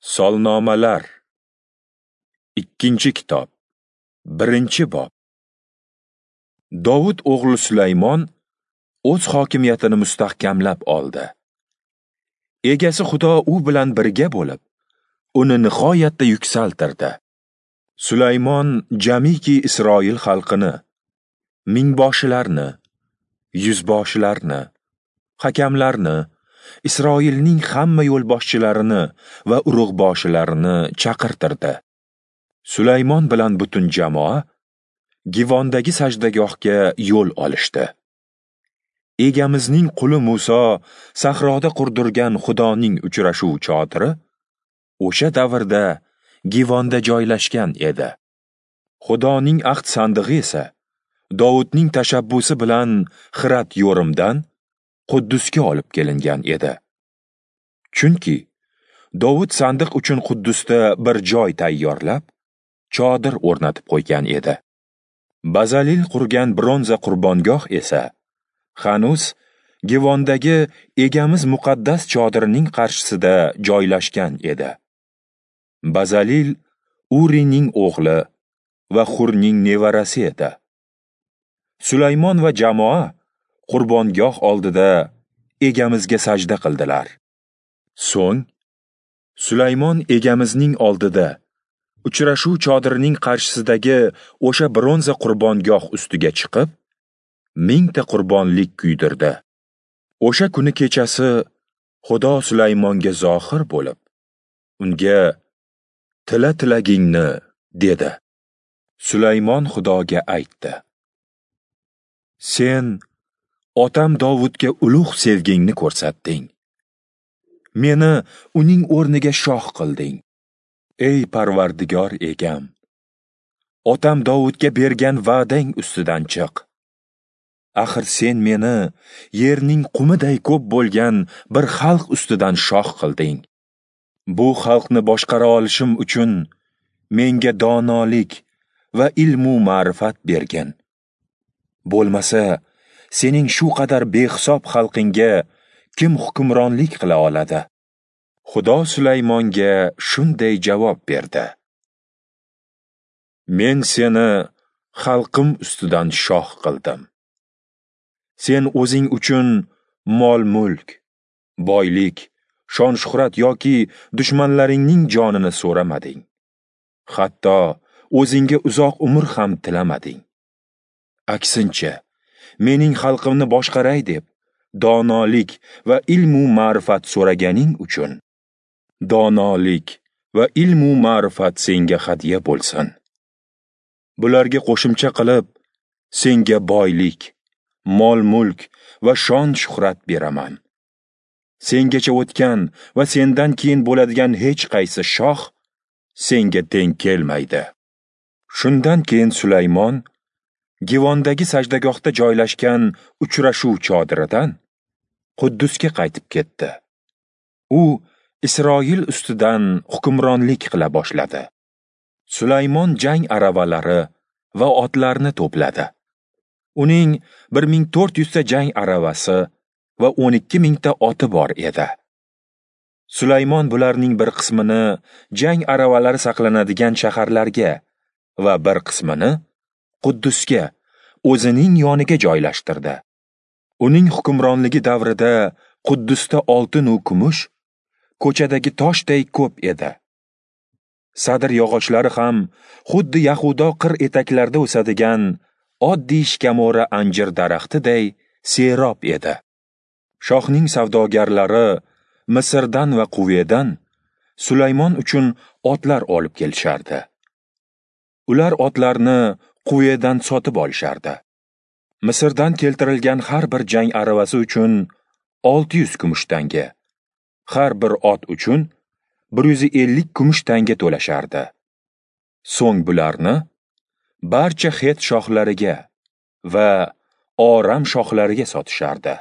Solnomalar. 2-kitob, 1-bob. Dovud o'g'li Sulaymon o'z hokimiyatini mustahkamlab oldi. Egasi Xudo u bilan birga bo'lib, uni nihoyatda yuksaltirdi. Sulaymon jamiki Isroil xalqini, mingboshilarni, yuzboshilarni, hakamlarni, Isroilning hamma yo'lboshchilarini va urug'boshilarini chaqirtirdi. Sulaymon bilan butun jamoa Givondagi sajdagohga yo'l olishdi. Egamizning quli Muso sahroda qurdirgan Xudoning uchrashuv chodiri o'sha davrda Givonda joylashgan edi. Xudoning ahd sandig'i esa Dovudning tashabbusi bilan Xirat yo'rimdan Quddusga olib kelingan edi. Chunki Dovud sandiq uchun Quddusda bir joy tayyorlab, chodir o'rnatib qo'ygan edi. Bazalil qurgan bronza qurbongoh esa hanuz Givondagi egamiz muqaddas chodirining qarshisida joylashgan edi. Bazalil Urining o'g'li va Xurning nevarasi edi. Sulaymon va jamoa qurbongoh oldida egamizga sajda qildilar. So'ng Sulaymon egamizning oldida uchrashuv chodirining qarshisidagi o'sha bronza qurbongoh ustiga chiqib, 1000 ta qurbonlik kuydirdi. O'sha kuni kechasi Xudo Sulaymonga zohir bo'lib, unga "Tila tilagingni" dedi. Sulaymon Xudoga aytdi: "Sen otam Dovudga ulug' sevgingni ko'rsatding. Meni uning o'rniga shoh qilding. Ey Parvardigor egam, otam Dovudga bergan va'dang ustidan chiq. Axir sen meni yerning qumiday ko'p bo'lgan bir xalq ustidan shoh qilding. Bu xalqni boshqara olishim uchun menga donolik va ilmu ma'rifat bergin. Bo'lmasa, sening shu qadar behisob xalqingga kim hukmronlik qila oladi?" Xudo Sulaymonga shunday javob berdi: "Men seni xalqim ustidan shoh qildim. Sen o'zing uchun mol-mulk, boylik, shon-shuhrat yoki dushmanlaringning jonini so'ramading. Hatto o'zingga uzoq umr ham tilamading. Aksincha, mening xalqimni boshqaray deb donolik va ilmu ma'rifat so'raganing uchun donolik va ilmu ma'rifat senga hadya bo'lsin. Bularga qo'shimcha qilib senga boylik, mol-mulk va shon-shuhrat beraman. Sengacha o'tgan va sendan keyin bo'ladigan hech qaysi shoh senga teng kelmaydi." Shundan keyin Sulaymon Givondagi sajdagohda joylashgan uchrashuv chodiridan Quddusga qaytib ketdi. U Isroil ustidan hukmronlik qila boshladi. Sulaymon jang aravalari va otlarni to'pladi. Uning 1400 ta jang aravasi va 12000 ta oti bor edi. Sulaymon bularning bir qismini jang aravalari saqlanadigan shaharlarga va bir qismini Quddusga, o'zining yoniga joylashtirdi. Uning hukmronligi davrida Quddusda oltin va kumush ko'chadagi toshday ko'p edi. Sadr yog'ochlari ham xuddi Yahudo qir etaklarida o'sadigan oddiy shkamora anjir daraxtiday serob edi. Shohning savdogarlari Misrdan va Quvedan Sulaymon uchun otlar olib kelishardi. Ular otlarni Quvedan sotib olishardi. Misrdan keltirilgan har bir jang aravasi uchun 600 kumush tanga, har bir ot uchun 150 kumush tanga to'lashardi. So'ng bularni barcha Het shohlariga va Oram shohlariga sotishardi.